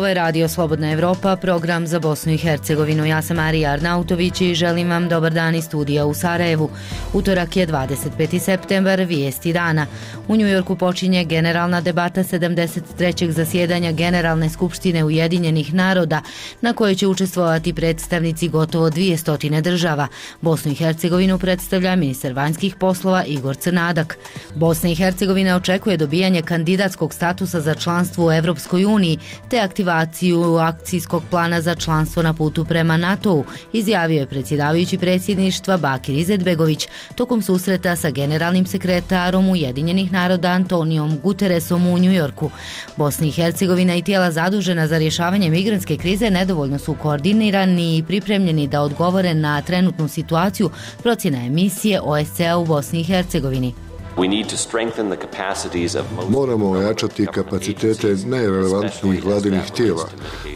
Ovo je Radio Slobodna Evropa, program za Bosnu i Hercegovinu. Ja sam Marija Arnautović i želim vam dobar dan iz studija u Sarajevu. Utorak je 25. septembar, vijesti dana. U Njujorku počinje generalna debata 73. zasjedanja Generalne skupštine Ujedinjenih naroda, na kojoj će učestvovati predstavnici gotovo 200 država. Bosnu i Hercegovinu predstavlja ministar vanjskih poslova Igor Crnadak. Bosna i Hercegovina očekuje dobijanje kandidatskog statusa za članstvo u Evropskoj uniji, te aktivaciju akcijskog plana za članstvo na putu prema NATO-u, izjavio je predsjedavajući predsjedništva Bakir Izetbegović tokom susreta sa generalnim sekretarom Ujedinjenih naroda Antonijom Guterresom u Njujorku. Bosna i Hercegovina i tijela zadužena za rješavanje migrantske krize nedovoljno su koordinirani i pripremljeni da odgovore na trenutnu situaciju, procjena emisije OSCE u Bosni i Hercegovini. Moramo ojačati kapacitete najrelevantnijih vladinih tijela,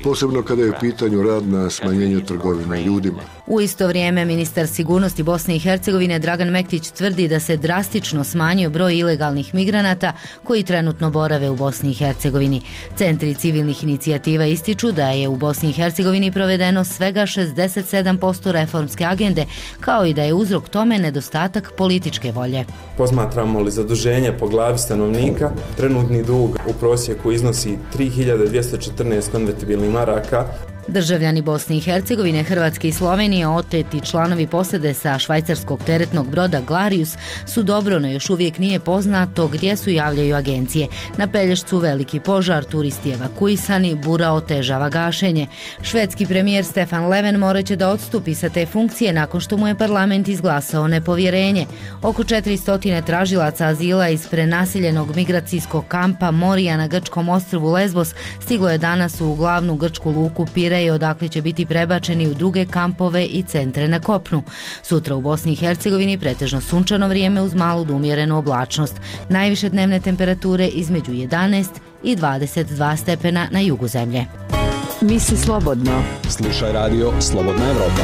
posebno kada je u pitanju rad na smanjenju trgovine ljudima. U isto vrijeme ministar sigurnosti Bosne i Hercegovine Dragan Mektić tvrdi da se drastično smanjio broj ilegalnih migranata koji trenutno borave u Bosni i Hercegovini. Centri civilnih inicijativa ističu da je u Bosni i Hercegovini provedeno svega 67% reformske agende, kao i da je uzrok tome nedostatak političke volje. Posmatramo li zaduženje po glavi stanovnika, trenutni dug u prosjeku iznosi 3214 konvertibilnih maraka. Državljani Bosne i Hercegovine, Hrvatske i Slovenije, oteti članovi posade sa švajcarskog teretnog broda Glarius su dobro, no još uvijek nije poznato gdje su, javljaju agencije. Na Pelješcu veliki požar, turisti evakuisani, bura otežava gašenje. Švedski premijer Stefan Löfven morat će da odstupi sa te funkcije nakon što mu je parlament izglasao nepovjerenje. Oko 400 tražilaca azila iz prenaseljenog migracijskog kampa Moria na grčkom ostrvu Lesbos stiglo je danas u glavnu grčku luku Pireje, odakle će biti prebačeni u druge kampove i centre na kopnu. Sutra u Bosni i Hercegovini pretežno sunčano vrijeme uz malu do umjerenu oblačnost. Najviše dnevne temperature između 11 i 22 stepena na jugu zemlje. Misli slobodno. Slušaj Radio Slobodna Evropa.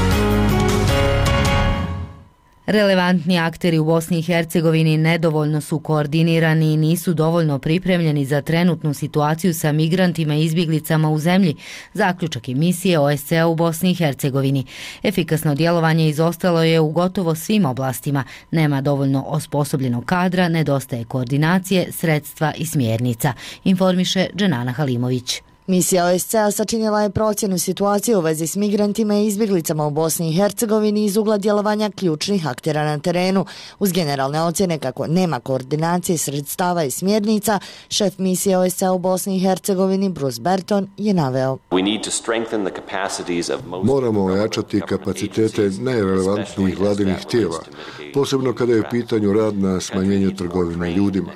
Relevantni akteri u Bosni i Hercegovini nedovoljno su koordinirani i nisu dovoljno pripremljeni za trenutnu situaciju sa migrantima i izbjeglicama u zemlji, zaključak emisije OSCE u Bosni i Hercegovini. Efikasno djelovanje izostalo je u gotovo svim oblastima. Nema dovoljno osposobljenog kadra, nedostaje koordinacije, sredstva i smjernica, informiše Dženana Halimović. Misija OSCE-a sačinila je procjenu situacije u vezi s migrantima i izbjeglicama u Bosni i Hercegovini iz ugla djelovanja ključnih aktera na terenu. Uz generalne ocjene kako nema koordinacije sredstava i smjernica, šef misije OSCE-a u Bosni i Hercegovini Bruce Berton je naveo: Moramo ojačati kapacitete najrelevantnijih vladinih tijela, posebno kada je u pitanju rad na smanjenju trgovine ljudima.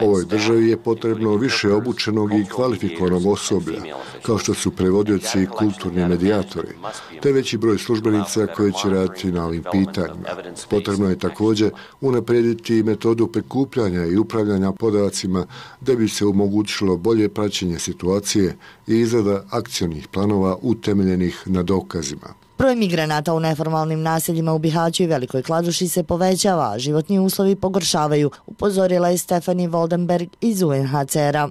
Ovoj državi je potrebno više obučenog i kvalifikovanog osoblja, kao što su prevodioci i kulturni medijatori, te veći broj službenica koji će raditi na ovim pitanjima. Potrebno je također unaprijediti metodu prikupljanja i upravljanja podacima da bi se omogućilo bolje praćenje situacije i izrada akcionih planova utemeljenih na dokazima. Broj migranata u neformalnim naseljima u Bihaću i Velikoj Kladuši se povećava, a životni uslovi pogoršavaju, upozorila je Stephanie Woldenberg iz UNHCR-a.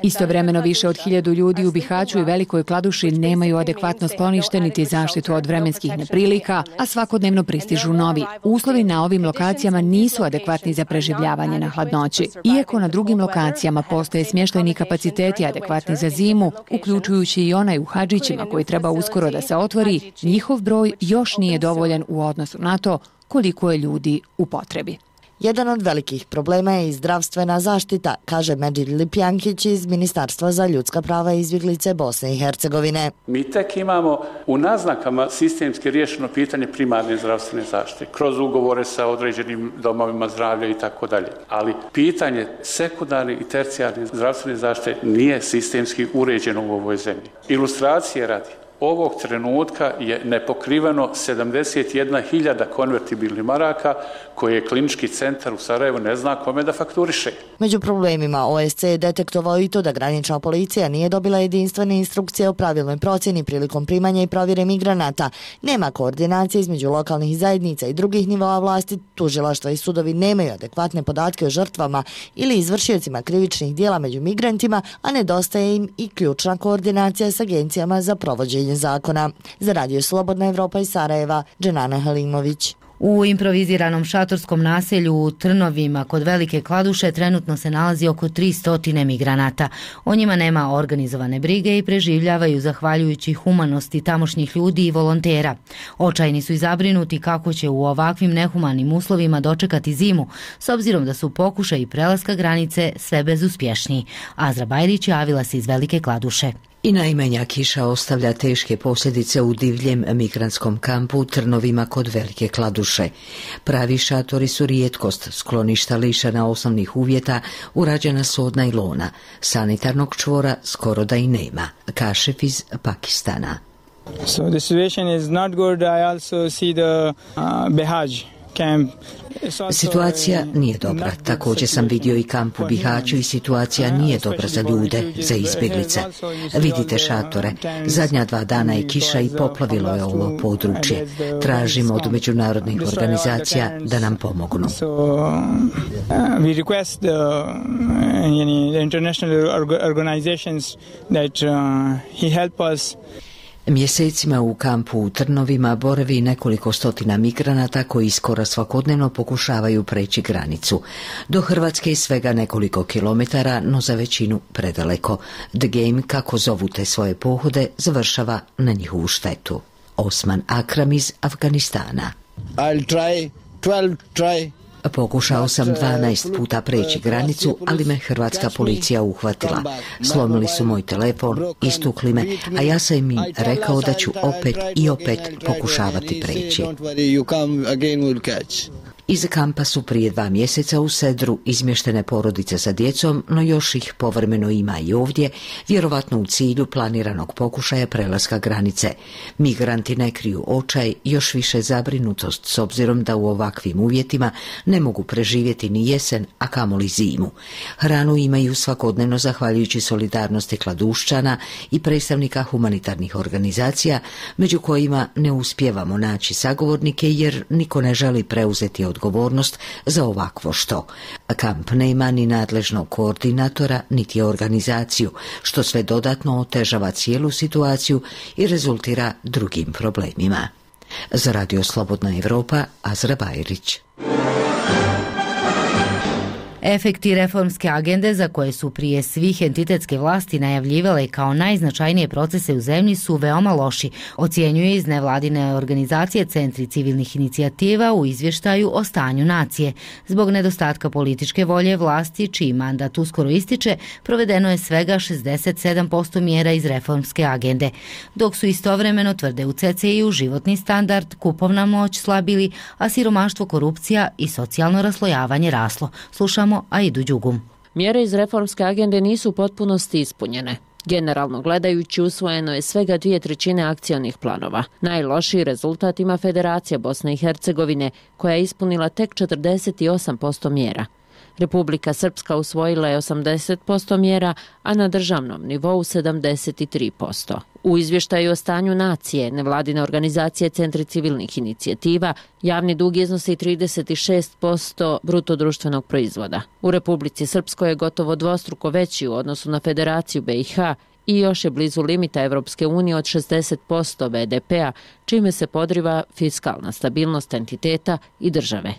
Istovremeno više od 1000 ljudi u Bihaću i Velikoj Kladuši nemaju adekvatno sklonište niti zaštitu od vremenskih neprilika, a svakodnevno pristižu novi. Uslovi na ovim lokacijama nisu adekvatni za preživljavanje na hladnoći. Iako na drugim lokacijama postoje smještajni kapaciteti adekvatni za zimu, uključujući i onaj u Hadžićima koji treba uskoro da se otvori, njihov broj još nije dovoljan u odnosu na to koliko je ljudi u potrebi. Jedan od velikih problema je i zdravstvena zaštita, kaže Medžid Lipjankić iz Ministarstva za ljudska prava i izbjeglice Bosne i Hercegovine. Mi tek imamo u naznakama sistemski riješeno pitanje primarne zdravstvene zaštite, kroz ugovore sa određenim domovima zdravlja i tako dalje. Ali pitanje sekundarne i tercijarne zdravstvene zaštite nije sistemski uređeno u ovoj zemlji. Ilustracije radi. Ovog trenutka je nepokriveno 71.000 konvertibilnih maraka koje je klinički centar u Sarajevu ne zna kome da fakturiše. Među problemima OSC je detektovao i to da granična policija nije dobila jedinstvene instrukcije o pravilnoj procjeni prilikom primanja i provjere migranata. Nema koordinacije između lokalnih zajednica i drugih nivoa vlasti, tužilaštva i sudovi nemaju adekvatne podatke o žrtvama ili izvršiocima krivičnih dijela među migrantima, a nedostaje im i ključna koordinacija s agencijama za provođenje zakona. Za Radio Slobodna Evropa iz Sarajeva, Dženana Halimović. U improviziranom šatorskom naselju u Trnovima kod Velike Kladuše trenutno se nalazi oko 300 migranata. O njima nema organizovane brige i preživljavaju zahvaljujući humanosti tamošnjih ljudi i volontera. Očajni su i zabrinuti kako će u ovakvim nehumanim uslovima dočekati zimu, s obzirom da su pokušaji prelaska granice sve bezuspješniji. Azra Bajrić javila se iz Velike Kladuše. I najmanja kiša ostavlja teške posljedice u divljem migrantskom kampu u Trnovima kod Velike Kladuše. Pravi šatori su rijetkost, skloništa lišena osnovnih uvjeta, urađena su od najlona. Sanitarnog čvora skoro da i nema. Kašef iz Pakistana. So the situation is not good. I also see the Behaj camp. Situacija nije dobra. Također sam vidio i kamp u Bihaću i situacija nije dobra za ljude, za izbjeglice. Vidite šatore. Zadnja 2 dana je kiša i poplavilo je ovo područje. Tražimo od međunarodnih organizacija da nam pomognu. We request the international organizations that he help us. Mjesecima u kampu u Trnovima boravi nekoliko stotina migranata koji skoro svakodnevno pokušavaju preći granicu. Do Hrvatske je svega nekoliko kilometara, no za većinu predaleko. The Game, kako zovu te svoje pohode, završava na njihovu štetu. Osman Akram iz Afganistana. Pokušao sam 12 puta preći granicu, ali me hrvatska policija uhvatila. Slomili su moj telefon, istukli me, a ja sam im rekao da ću opet i opet pokušavati preći. Iz kampa su prije 2 mjeseca u Sedru izmještene porodice sa djecom, no još ih povremeno ima i ovdje, vjerovatno u cilju planiranog pokušaja prelaska granice. Migranti ne kriju očaj, još više zabrinutost s obzirom da u ovakvim uvjetima ne mogu preživjeti ni jesen, a kamoli zimu. Hranu imaju svakodnevno zahvaljujući solidarnosti Kladuščana i predstavnika humanitarnih organizacija, među kojima ne uspijevamo naći sagovornike jer niko ne želi preuzeti odgovornost za ovakvo što. Kamp nema ni nadležnog koordinatora, niti organizaciju, što sve dodatno otežava cijelu situaciju i rezultira drugim problemima. Za Radio Slobodna Evropa, Azra Bajrić. Efekti reformske agende za koje su prije svih entitetske vlasti najavljivale kao najznačajnije procese u zemlji su veoma loši, ocjenjuje iz nevladine organizacije Centri civilnih inicijativa u izvještaju o stanju nacije. Zbog nedostatka političke volje vlasti, čiji mandat uskoro ističe, provedeno je svega 67% mjera iz reformske agende, dok su istovremeno, tvrde u CCI-u, životni standard, kupovna moć slabili, a siromaštvo, korupcija i socijalno raslojavanje raslo. Slušamo Aidu Đugum. Mjere iz reformske agende nisu u potpunosti ispunjene. Generalno gledajući, usvojeno je svega 2/3 akcionih planova. Najlošiji rezultat ima Federacija Bosne i Hercegovine, koja je ispunila tek 48% mjera. Republika Srpska usvojila je 80% mjera, a na državnom nivou 73%. U izvještaju o stanju nacije, nevladine organizacije Centri civilnih inicijativa, javni dug iznosi 36% bruto društvenog proizvoda. U Republici Srpskoj je gotovo dvostruko veći u odnosu na Federaciju BiH i još je blizu limita Evropske unije od 60% BDP-a, čime se podriva fiskalna stabilnost entiteta i države.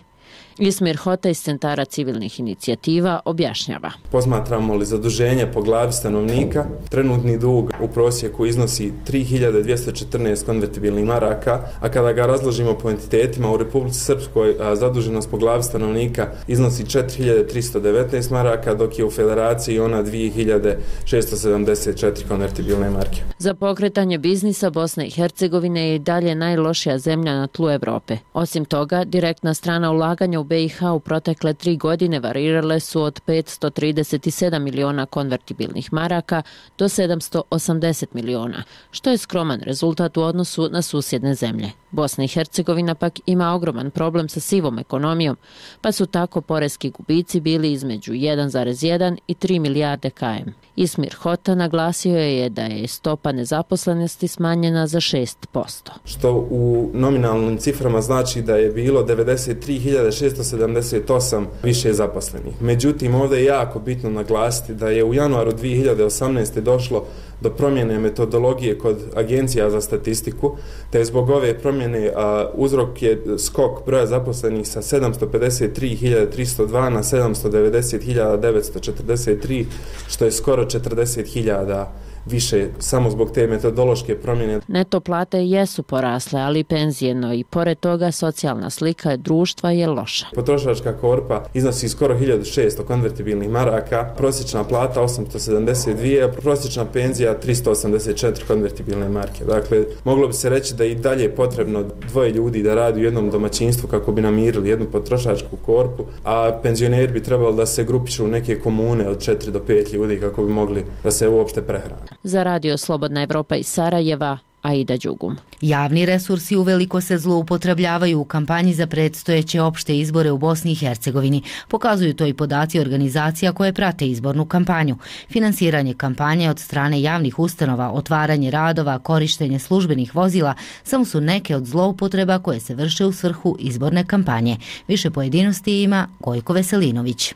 Ismir Hota iz Centara civilnih inicijativa objašnjava. Posmatramo li zaduženje po glavi stanovnika, trenutni dug u prosjeku iznosi 3214 konvertibilnih maraka, a kada ga razložimo po entitetima, u Republici Srpskoj zaduženost po glavi stanovnika iznosi 4319 maraka, dok je u Federaciji ona 2674 konvertibilne marke. Za pokretanje biznisa Bosne i Hercegovine je i dalje najlošija zemlja na tlu Evrope. Osim toga, direktna strana ulaganja u BiH u protekle 3 godine varirale su od 537 miliona konvertibilnih maraka do 780 miliona, što je skroman rezultat u odnosu na susjedne zemlje. Bosna i Hercegovina pak ima ogroman problem sa sivom ekonomijom, pa su tako poreski gubici bili između 1,1 i 3 milijarde km. Ismir Hota naglasio je da je stopa nezaposlenosti smanjena za 6%. Što u nominalnim ciframa znači da je bilo 93.678 više zaposlenih. Međutim, ovdje je jako bitno naglasiti da je u januaru 2018. došlo do promjene metodologije kod agencija za statistiku, te zbog ove promjene uzrok je skok broja zaposlenih sa 753.302 na 790.943, što je skoro 40.000 više samo zbog te metodološke promjene. Neto plate jesu porasle, ali penzijeno i pored toga socijalna slika društva je loša. Potrošačka korpa iznosi skoro 1600 konvertibilnih maraka, prosječna plata 872, a prosječna penzija 384 konvertibilne marke. Dakle, moglo bi se reći da i dalje je potrebno 2 ljudi da radi u jednom domaćinstvu kako bi namirili jednu potrošačku korpu, a penzioneri bi trebali da se grupišu u neke komune od 4 do 5 ljudi kako bi mogli da se uopšte prehrane. Za Radio Slobodna Evropa iz Sarajeva, Aida Đugum. Javni resursi uveliko se zloupotrebljavaju u kampanji za predstojeće opšte izbore u Bosni i Hercegovini. Pokazuju to i podaci organizacija koje prate izbornu kampanju. Finansiranje kampanje od strane javnih ustanova, otvaranje radova, korištenje službenih vozila samo su neke od zloupotreba koje se vrše u svrhu izborne kampanje. Više pojedinosti ima Gojko Veselinović.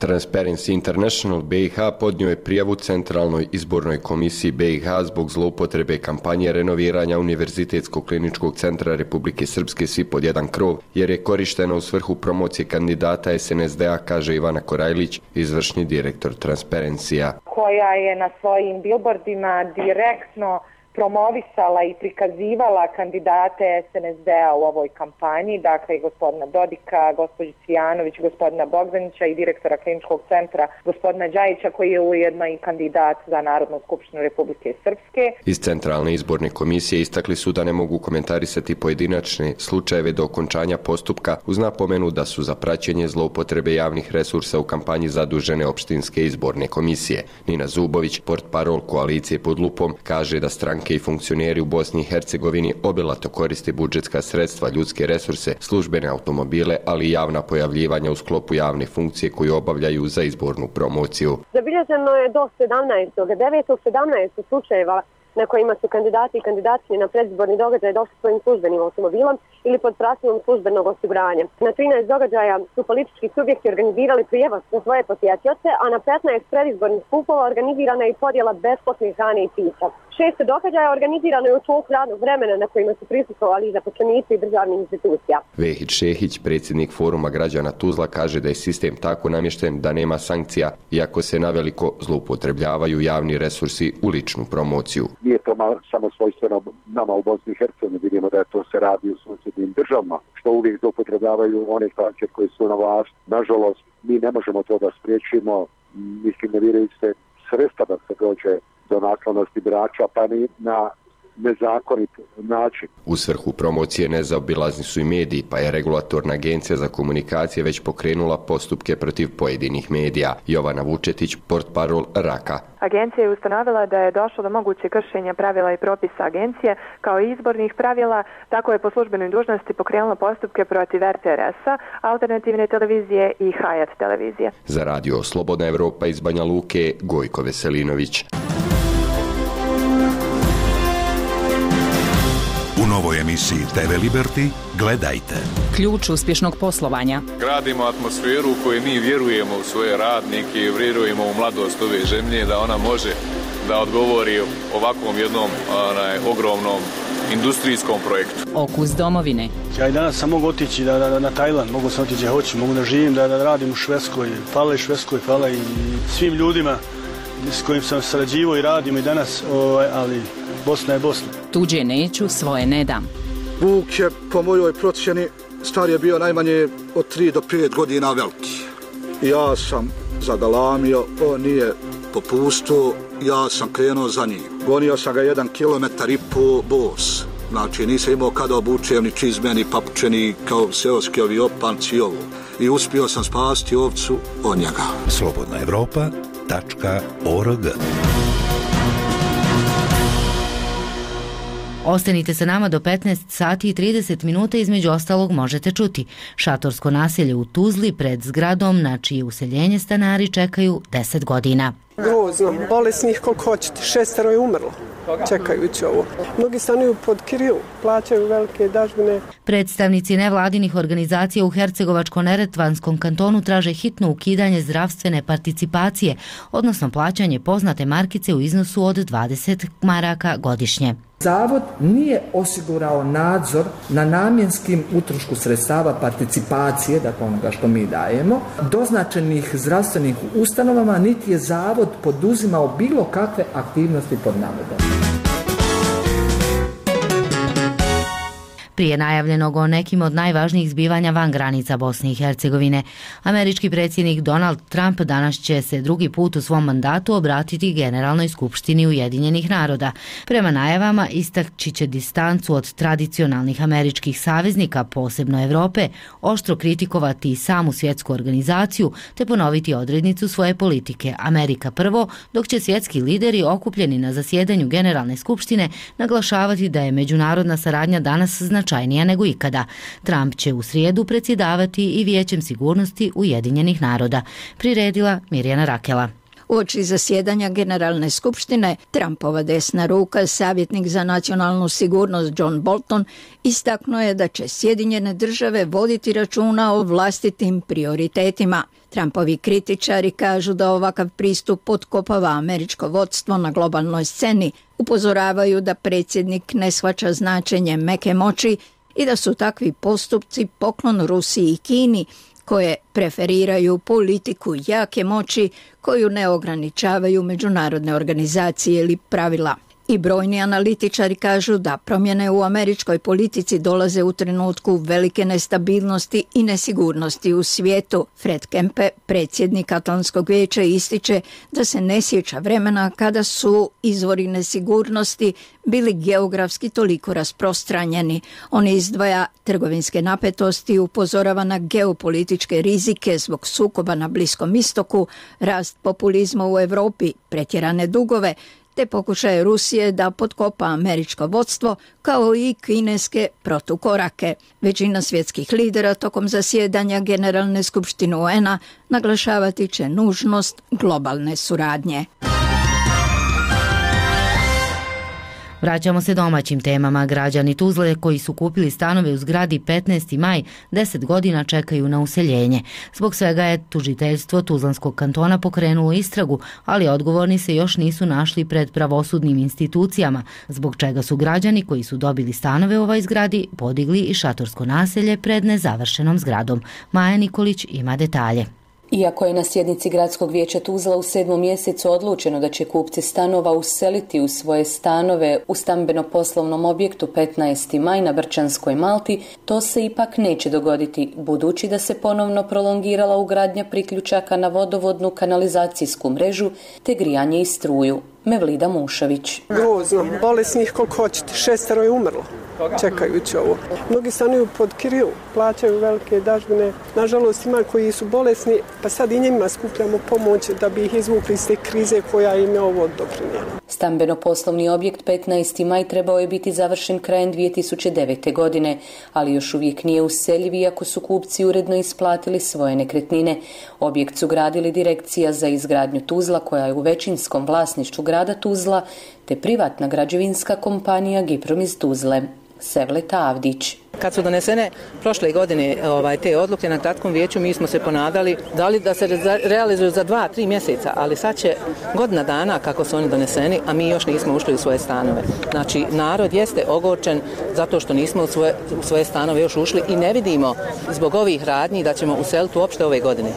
Transparency International BiH podnio je prijavu Centralnoj izbornoj komisiji BiH zbog zloupotrebe kampanje renoviranja Univerzitetskog kliničkog centra Republike Srpske Svi pod jedan krov, jer je korištena u svrhu promocije kandidata SNSD-a, kaže Ivana Korajlić, izvršni direktor Transparency-a. Koja je na svojim billboardima direktno promovisala i prikazivala kandidate SNSD-a u ovoj kampanji, dakle gospodina Dodika, gospođu Cvijanović, gospodina Bogdanića i direktora kliničkog centra gospodina Đajića, koji je ujedno i kandidat za Narodnu skupštinu Republike Srpske. Iz Centralne izborne komisije istakli su da ne mogu komentarisati pojedinačne slučajeve do okončanja postupka, uz napomenu da su za praćenje zloupotrebe javnih resursa u kampanji zadužene opštinske izborne komisije. Nina Zubović, portparol koalicije pod lupom, kaže da stranke i funkcioneri u Bosni i Hercegovini obilato koriste budžetska sredstva, ljudske resurse, službene automobile, ali i javna pojavljivanja u sklopu javne funkcije koju obavljaju za izbornu promociju. Zabilježeno je do 917 slučajeva na kojima su kandidati i kandidatkinje na predizborni događaj došli svojim službenim automobilom ili pod pratilom službenog osiguranja. Na 13 događaja su politički subjekti organizirali prijevoz za svoje posjetioce, a na 15 predizbornih skupova organizirana je i podjela besplatne hrane i pića. 6 događaja organizirano je u toku radnog vremena na kojima su prisustvovali zaposlenici i državnih institucija. Vehić Šehić, predsjednik Foruma građana Tuzla, kaže da je sistem tako namješten da nema sankcija, iako se naveliko zloupotrebljavaju javni resursi u ličnu promociju. Nije to samo svojstveno nama u Bosni i Hercegovini, vidimo da to se radi u susjednim državama, što uvijek zloupotrebljavaju one stranke koje su na vlasti. Nažalost, mi ne možemo to da spriječimo, mislim ne vjeruju se sredstva da se dođe do naklonosti birača, pa ni na nezakonit način. U svrhu promocije nezaobilazni su i mediji, pa je regulatorna agencija za komunikacije već pokrenula postupke protiv pojedinih medija. Jovana Vučetić, portparol Raka. Agencija je ustanovila da je došlo do moguće kršenja pravila i propisa agencije, kao i izbornih pravila, tako je po službenoj dužnosti pokrenula postupke protiv RTRS-a, Alternativne televizije i Hayat televizije. Za Radio Slobodna Evropa iz Banja Luke, Gojko Veselinović. U novoj emisiji TV Liberty gledajte. Ključ uspješnog poslovanja. Gradimo atmosferu u kojoj mi vjerujemo u svoje radnike i vjerujemo u mladost ove zemlje, da ona može da odgovori ovakvom jednom ogromnom industrijskom projektu. Okus domovine. Ja i danas sam mogu otići na Tajland, mogu sam otići gdje hoću, mogu da živim, da radim u Švedskoj. Hvala i Švedskoj, hvala i svim ljudima s kojim sam sarađivao i radimo i danas, ali Bosna je Bosna. Tuđe neću, svoje ne dam. Vuk je, po mojoj procjeni, star je bio najmanje od 3 do 5 godina veliki. Ja sam zagalamio, on nije popustio, ja sam krenuo za njim. Gonio sam ga 1,5 kilometar bos. Znači, nisam imao kada obučem ni čizme, ni papuče, kao seoski ovi opanci i ovo. I uspio sam spasti ovcu od njega. slobodnaevropa.org. Ostanite sa nama do 15 sati i 30 minuta, između ostalog možete čuti šatorsko naselje u Tuzli pred zgradom na čije useljenje stanari čekaju 10 godina. Grozno, bolesnih koliko hoćete, 6 je umrlo čekajući ovo. Mnogi stanuju pod kiriju, plaćaju velike dažbine. Predstavnici nevladinih organizacija u Hercegovačko-neretvanskom kantonu traže hitno ukidanje zdravstvene participacije, odnosno plaćanje poznate markice u iznosu od 20 maraka godišnje. Zavod nije osigurao nadzor na namjenskim utrošku sredstava participacije, dakle onoga što mi dajemo, doznačenih zdravstvenih ustanovama, niti je Zavod poduzimao bilo kakve aktivnosti pod navodom. Prije najavljenog o nekim od najvažnijih zbivanja van granica Bosne i Hercegovine, američki predsjednik Donald Trump danas će se drugi put u svom mandatu obratiti Generalnoj skupštini Ujedinjenih naroda. Prema najavama istakći će distancu od tradicionalnih američkih saveznika, posebno Europe, oštro kritikovati i samu svjetsku organizaciju te ponoviti odrednicu svoje politike Amerika prvo, dok će svjetski lideri okupljeni na zasjedanju Generalne skupštine naglašavati da je međunarodna saradnja danas značajnija nego ikada. Trump će u srijedu predsjedavati i Vijećem sigurnosti Ujedinjenih naroda. Priredila Mirjana Rakela. Uoči zasjedanja Generalne skupštine, Trumpova desna ruka, savjetnik za nacionalnu sigurnost John Bolton, istaknuo je da će Sjedinjene države voditi računa o vlastitim prioritetima. Trumpovi kritičari kažu da ovakav pristup potkopava američko vodstvo na globalnoj sceni, upozoravaju da predsjednik ne shvaća značenje meke moći i da su takvi postupci poklon Rusiji i Kini, koje preferiraju politiku jake moći koju ne ograničavaju međunarodne organizacije ili pravila. I brojni analitičari kažu da promjene u američkoj politici dolaze u trenutku velike nestabilnosti i nesigurnosti u svijetu. Fred Kempe, predsjednik Atlantskog vijeća, ističe da se ne sjeća vremena kada su izvori nesigurnosti bili geografski toliko rasprostranjeni. On izdvaja trgovinske napetosti i upozorava na geopolitičke rizike zbog sukoba na Bliskom istoku, rast populizma u Europi, pretjerane dugove, te pokušaje Rusije da potkopa američko vodstvo, kao i kineske protukorake. Većina svjetskih lidera tokom zasjedanja Generalne skupštine UN-a naglašavati će nužnost globalne suradnje. Vraćamo se domaćim temama. Građani Tuzle koji su kupili stanove u zgradi 15. maj 10 godina čekaju na useljenje. Zbog svega je tužiteljstvo Tuzlanskog kantona pokrenulo istragu, ali odgovorni se još nisu našli pred pravosudnim institucijama, zbog čega su građani koji su dobili stanove u ovoj zgradi podigli i šatorsko naselje pred nezavršenom zgradom. Maja Nikolić ima detalje. Iako je na sjednici Gradskog vijeća Tuzla u 7. mjesecu odlučeno da će kupci stanova useliti u svoje stanove u stambeno-poslovnom objektu 15. maj na Brčanskoj Malti, to se ipak neće dogoditi, budući da se ponovno prolongirala ugradnja priključaka na vodovodnu kanalizacijsku mrežu te grijanje i struju. Mevlida Mušović. Grozno, bolesnih koliko hoćete, 6 je umrlo čekajući ovo. Mnogi stanuju pod kiriju, plaćaju velike dažbine. Nažalost, ima koji su bolesni, pa sad i njima skupljamo pomoć da bi ih izvukli iz te krize koja im je ovo doprinijela. Stambeno-poslovni objekt 15. maj trebao je biti završen krajem 2009. godine, ali još uvijek nije useljiv iako su kupci uredno isplatili svoje nekretnine. Objekt su gradili Direkcija za izgradnju Tuzla, koja je u većinskom vlasništvu grada Tuzla, te privatna građevinska kompanija Giprom iz Tuzle. Sevleta Avdić. Kad su donesene prošle godine te odluke na gradskom vijeću, mi smo se ponadali da se realizuju za 2-3 mjeseca, ali sad će godina dana kako su oni doneseni, a mi još nismo ušli u svoje stanove. Znači, narod jeste ogorčen zato što nismo u svoje stanove još ušli i ne vidimo zbog ovih radnji da ćemo useliti uopšte ove godine.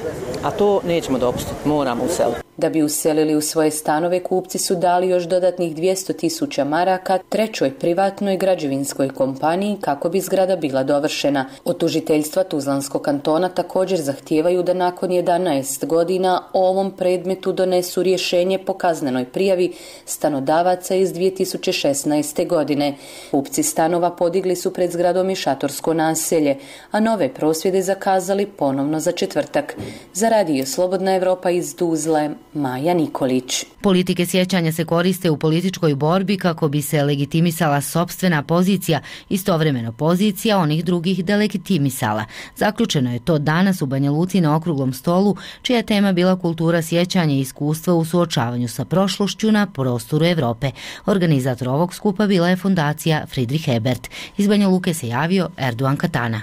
A to nećemo dopustiti, moramo useliti. Da bi uselili u svoje stanove, kupci su dali još dodatnih 200.000 maraka trećoj privatnoj građevinskoj kompaniji kako bi zgrada bila dovršena. Od tužiteljstva Tuzlanskog kantona također zahtijevaju da nakon 11 godina o ovom predmetu donesu rješenje po kaznenoj prijavi stanodavaca iz 2016. godine. Kupci stanova podigli su pred zgradom i šatorsko naselje, a nove prosvjede zakazali ponovno za četvrtak. Za Radio Slobodna Evropa iz Tuzle, Maja Nikolić. Politike sjećanja se koriste u političkoj borbi kako bi se legitimisala sopstvena pozicija, istovremeno pozicija onih drugih delegitimisala. Zaključeno je to danas u Banja Luci na okruglom stolu, čija je tema bila kultura sjećanja i iskustva u suočavanju sa prošlošću na prostoru Evrope. Organizator ovog skupa bila je fondacija Friedrich Ebert. Iz Banja Luke se javio Erdogan Katana.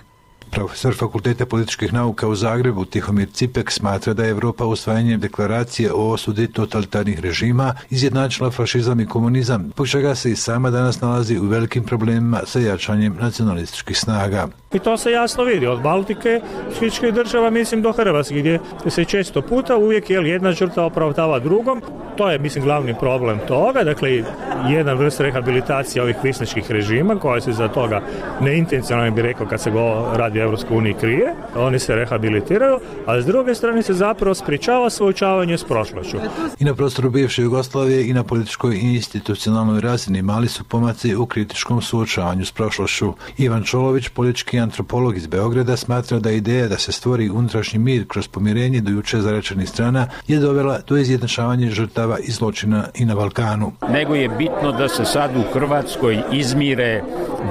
Profesor Fakulteta političkih nauka u Zagrebu Tihomir Cipek smatra da je Evropa usvajanjem deklaracije o osudi totalitarnih režima izjednačila fašizam i komunizam, zbog čega se i sama danas nalazi u velikim problemima sa jačanjem nacionalističkih snaga. I to se jasno vidi od Baltike, sličnih država, mislim do Hrvatske, gdje se često puta uvijek jedna žrtva opravdava drugom. To je, mislim, glavni problem toga. Dakle, jedan vrst rehabilitacije ovih kvisničkih režima koja se za toga neintencionalno bi rekao kad se radi o Europskoj uniji krije. Oni se rehabilitiraju, a s druge strane se zapravo sprječava suočavanje s prošlošću. I na prostoru bivše Jugoslavije i na političkoj i institucionalnoj razini mali su pomaci u kritičkom suočavanju s prošlošću. Ivan Čolović, politički antropolog iz Beograda, smatra da ideja da se stvori unutrašnji mir kroz pomirenje do juče zarečenih strana je dovela do izjednačavanja žrtava i zločina i na Balkanu. Nego je bitno da se sad u Hrvatskoj izmire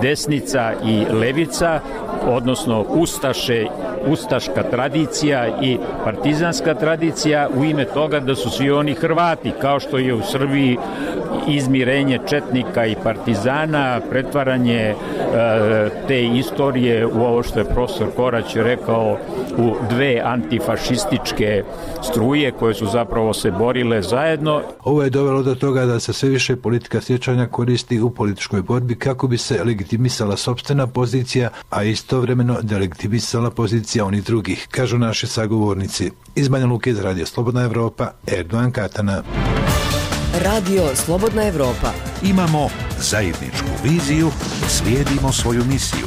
desnica i levica, odnosno ustaška tradicija i partizanska tradicija u ime toga da su svi oni Hrvati, kao što je u Srbiji izmirenje četnika i partizana, pretvaranje te istorije u ovo što je profesor Korać rekao u dve antifašističke struje koje su zapravo se borile zajedno. Ovo je dovelo do toga da se sve više politika sjećanja koristi u političkoj borbi kako bi se legitimisala sopstvena pozicija, a istovremeno delegitimisala pozicija onih drugih, kažu naši sagovornici. Iz Banja Luke iz Radio Slobodna Evropa, Erdogan Katana. Radio Slobodna Evropa. Imamo zajedničku viziju, slijedimo svoju misiju.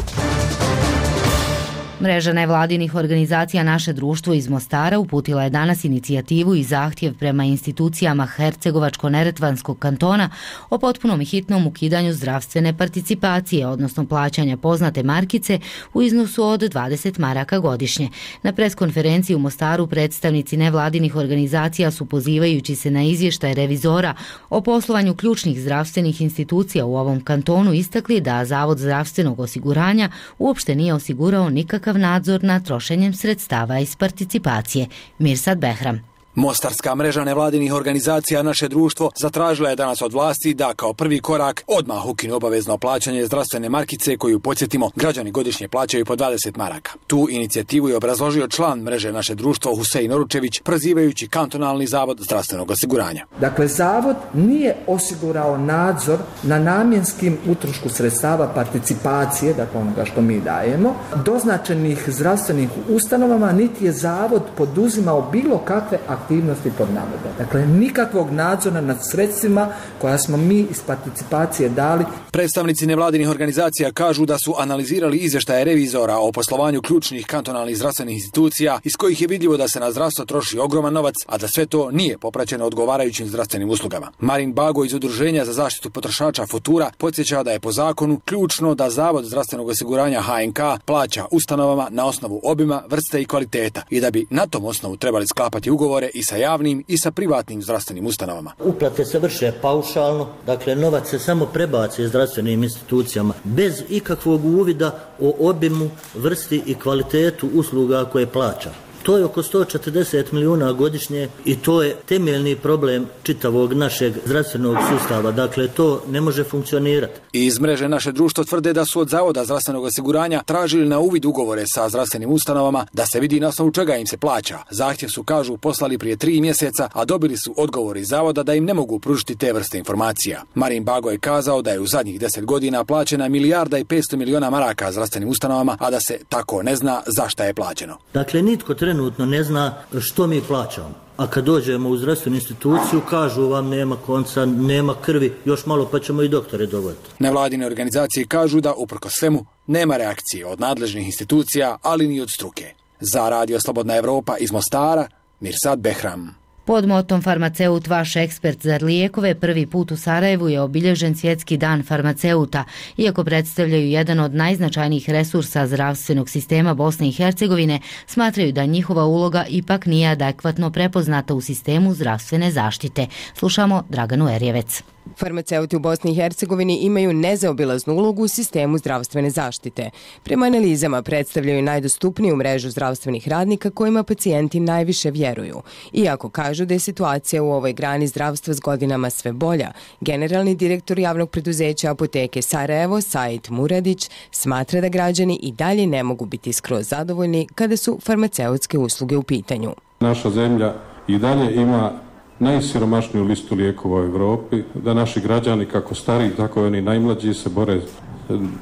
Mreža nevladinih organizacija Naše društvo iz Mostara uputila je danas inicijativu i zahtjev prema institucijama Hercegovačko-Neretvanskog kantona o potpunom i hitnom ukidanju zdravstvene participacije, odnosno plaćanja poznate markice u iznosu od 20 maraka godišnje. Na preskonferenciji u Mostaru predstavnici nevladinih organizacija su, pozivajući se na izvještaj revizora o poslovanju ključnih zdravstvenih institucija u ovom kantonu, istakli da Zavod zdravstvenog osiguranja uopšte nije osigurao nikakav nadzor nad trošenjem sredstava iz participacije. Mirsad Behram. Mostarska mreža nevladinih organizacija Naše društvo zatražila je danas od vlasti da kao prvi korak odmah ukinu obavezno plaćanje zdravstvene markice koju, podsjetimo, građani godišnje plaćaju po 20 maraka. Tu inicijativu je obrazložio član mreže Naše društvo Husein Oručević, prozivajući kantonalni zavod zdravstvenog osiguranja. Dakle, zavod nije osigurao nadzor na namjenskim utrošku sredstava participacije, dakle onoga što mi dajemo, doznačenih zdravstvenih ustanovama, niti je zavod poduzimao bilo kakve aktivnosti pod navodom. Dakle, nikakvog nadzora nad sredstvima koja smo mi iz participacije dali. Predstavnici nevladinih organizacija kažu da su analizirali izvještaje revizora o poslovanju ključnih kantonalnih zdravstvenih institucija iz kojih je vidljivo da se na zdravstvo troši ogroman novac, a da sve to nije popraćeno odgovarajućim zdravstvenim uslugama. Marin Bago iz Udruženja za zaštitu potrošača Futura podsjeća da je po zakonu ključno da Zavod zdravstvenog osiguranja HNK plaća ustanovama na osnovu obima, vrste i kvaliteta i da bi na tom osnovu trebali sklapati ugovore i sa javnim i sa privatnim zdravstvenim ustanovama. Uplate se vrše paušalno, dakle novac se samo prebaci zdravstvenim institucijama bez ikakvog uvida o obimu, vrsti i kvalitetu usluga koje plaća. To je oko 140 milijuna godišnje i to je temeljni problem čitavog našeg zdravstvenog sustava. Dakle, to ne može funkcionirati. Iz mreže Naše društvo tvrde da su od Zavoda zdravstvenog osiguranja tražili na uvid ugovore sa zdravstvenim ustanovama da se vidi na osnovu čega im se plaća. Zahtjev su, kažu, poslali prije 3 mjeseca, a dobili su odgovor iz Zavoda da im ne mogu pružiti te vrste informacija. Marin Bago je kazao da je u zadnjih 10 godina plaćena 1,5 milijarda maraka zdravstvenim ustanovama, a da se tako ne zna za šta je plaćeno. Dakle, nitko trenutno trenutno ne zna što mi plaćamo. A kad dođemo u zdravstvenu instituciju, kažu vam nema konca, nema krvi, još malo pa ćemo i doktore dovoditi. Nevladine organizacije kažu da, uprkos svemu, nema reakcije od nadležnih institucija, ali ni od struke. Za Radio Slobodna Evropa iz Mostara, Mirsad Behram. Pod motom Farmaceut, vaš ekspert za lijekove, prvi put u Sarajevu je obilježen Svjetski dan farmaceuta. Iako predstavljaju jedan od najznačajnijih resursa zdravstvenog sistema Bosne i Hercegovine, smatraju da njihova uloga ipak nije adekvatno prepoznata u sistemu zdravstvene zaštite. Slušamo Draganu Erjevec. Farmaceuti u Bosni i Hercegovini imaju nezaobilaznu ulogu u sistemu zdravstvene zaštite. Prema analizama predstavljaju najdostupniju mrežu zdravstvenih radnika kojima pacijenti najviše vjeruju. Iako kažu da je situacija u ovoj grani zdravstva s godinama sve bolja, generalni direktor javnog preduzeća Apoteke Sarajevo, Said Muradić, smatra da građani i dalje ne mogu biti skroz zadovoljni kada su farmaceutske usluge u pitanju. Naša zemlja i dalje ima najsiromašniju listu lijekova u Europi, da naši građani, kako stariji, tako i oni najmlađi, se bore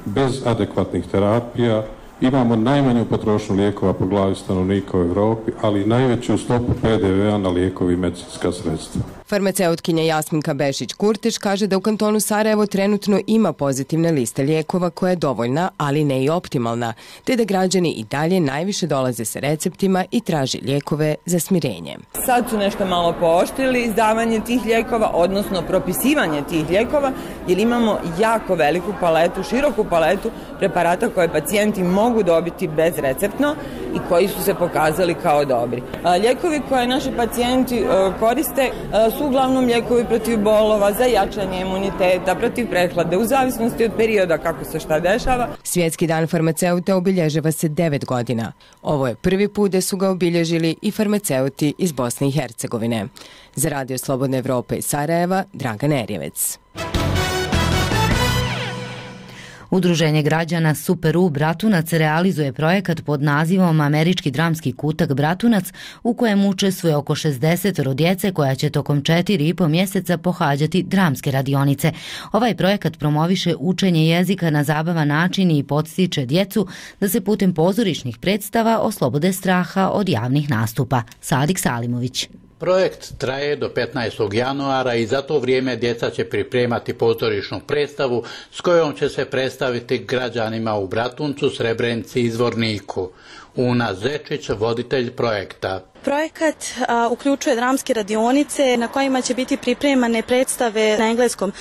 bez adekvatnih terapija. Imamo najmanju potrošnju lijekova po glavi stanovnika u Europi, ali i najveću stopu PDV-a na lijekovi i medicinska sredstva. Farmaceutkinja Jasminka Bešić-Kurtić kaže da u kantonu Sarajevo trenutno ima pozitivne liste lijekova koja je dovoljna, ali ne i optimalna, te da građani i dalje najviše dolaze sa receptima i traži lijekove za smirenje. Sad su nešto malo pooštrili izdavanje tih lijekova, odnosno propisivanje tih lijekova, jer imamo jako veliku paletu, široku paletu preparata koje pacijenti mogu dobiti bezreceptno i koji su se pokazali kao dobri. Lijekovi koje naši pacijenti koriste su uglavnom lijekovi protiv bolova, za jačanje imuniteta, protiv prehlade, u zavisnosti od perioda kako se šta dešava. Svjetski dan farmaceuta obilježava se 9 godina. Ovo je prvi put da su ga obilježili i farmaceuti iz Bosne i Hercegovine. Za Radio Slobodna Evropa iz Sarajeva, Dragana Erjevec. Udruženje građana Super U Bratunac realizuje projekat pod nazivom Američki dramski kutak Bratunac, u kojem učestvuje oko 60 djece koja će tokom 4,5 mjeseca pohađati dramske radionice. Ovaj projekat promoviše učenje jezika na zabavan način i podstiče djecu da se putem pozorišnih predstava oslobode straha od javnih nastupa. Sadik Salimović. Projekt traje do 15. januara i za to vrijeme djeca će pripremati pozorišnu predstavu s kojom će se predstaviti građanima u Bratuncu, Srebrenici i Zvorniku. Una Zečić, voditelj projekta. Projekat uključuje dramske radionice na kojima će biti pripremane predstave na engleskom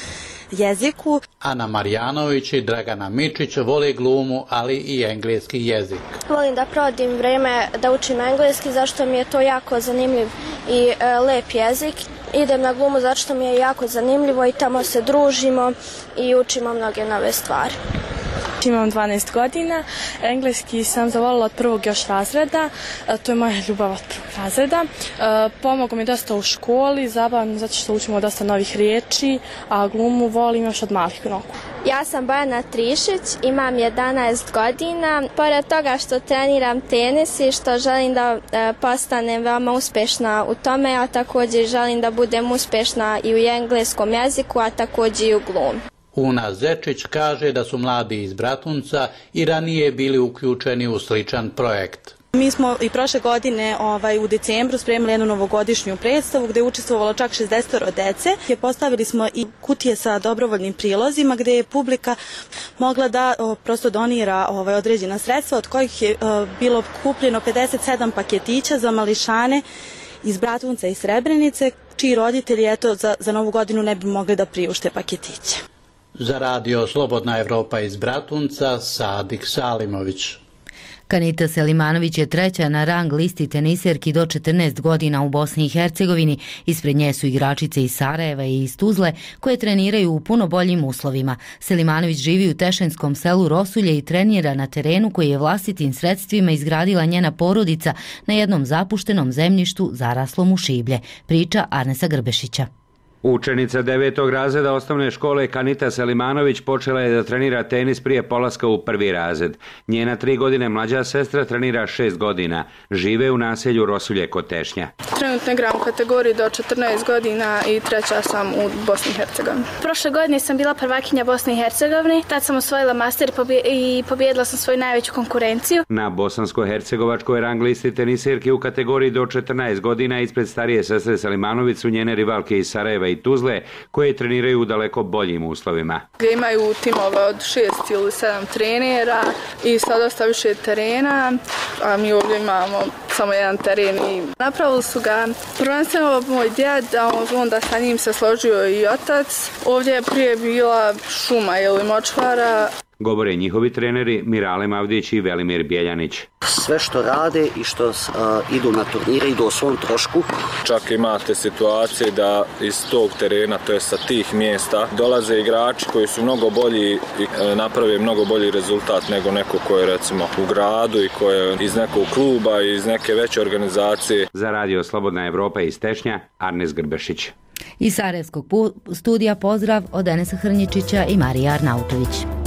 jeziku. Ana Marjanović i Dragana Mičić vole glumu, ali i engleski jezik. Volim da provodim vrijeme da učim engleski, zašto mi je to jako zanimljiv i lep jezik. Idem na glumu zato što mi je jako zanimljivo i tamo se družimo i učimo mnoge nove stvari. Imam 12 godina, engleski sam zavolila od prvog još razreda, to je moja ljubav od prvog razreda. Pomogao mi dosta u školi, zabavno zato što učimo dosta novih riječi, a glumu volim još od malih nogu. Ja sam Bojana Trišić, imam 11 godina. Pored toga što treniram tenis i što želim da postanem veoma uspješna u tome, a također želim da budem uspješna i u engleskom jeziku, a također i u glumi. Una Zečić kaže da su mladi iz Bratunca i ranije bili uključeni u sličan projekt. Mi smo i prošle godine u decembru spremili jednu novogodišnju predstavu gdje je učestvovalo čak 60 djece. Postavili smo i kutije sa dobrovoljnim prilozima gdje je publika mogla da prosto donira određena sredstva, od kojih je bilo kupljeno 57 paketića za mališane iz Bratunca i Srebrenice, čiji roditelji za novu godinu ne bi mogli da priušte paketiće. Za Radio Slobodna Evropa iz Bratunca, Sadik Salimović. Kanita Selimanović je treća na rang listi teniserki do 14 godina u Bosni i Hercegovini. Ispred nje su igračice iz Sarajeva i iz Tuzle koje treniraju u puno boljim uslovima. Selimanović živi u Tešenskom selu Rosulje i trenira na terenu koji je vlastitim sredstvima izgradila njena porodica na jednom zapuštenom zemljištu zaraslom u šiblje. Priča Arnesa Grbešića. Učenica 9. razreda osnovne škole Kanita Selimanović počela je da trenira tenis prije polaska u 1. razred. Njena 3 godine mlađa sestra trenira 6 godina. Žive u naselju Rosulje kod Tešnja. Trenutno igram u kategoriji do 14 godina i 3. sam u Bosni i Hercegovini. Prošle godine sam bila prvakinja Bosne i Hercegovine. Tad sam osvojila master i pobijedila sam svoju najveću konkurenciju. Na bosansko-hercegovačkoj rang listi tenisirki u kategoriji do 14 godina ispred starije sestre Selimanović su njene rivalke iz Sarajeva i Tuzle, koje treniraju u daleko boljim uslovima. Gdje imaju timove od 6 ili 7 trenera i sa dosta više terena, a mi ovdje imamo samo jedan teren i napravili su ga prvenstveno moj djed, a onda sa njim se složio i otac. Ovdje je prije bila šuma ili močvara. Govore njihovi treneri Mirale Mavdić i Velimir Bjeljanić. Sve što rade i što idu na turnire idu o svom trošku. Čak imate situacije da iz tog terena, to je sa tih mjesta, dolaze igrači koji su mnogo bolji i naprave mnogo bolji rezultat nego neko ko je recimo u gradu i ko je iz nekog kluba i iz neke veće organizacije. Za Radio Slobodna Evropa iz Tešnja, Arnes Grbešić. Iz Sarajevskog studija pozdrav od Enesa Hrnjičića i Marije Arnautović.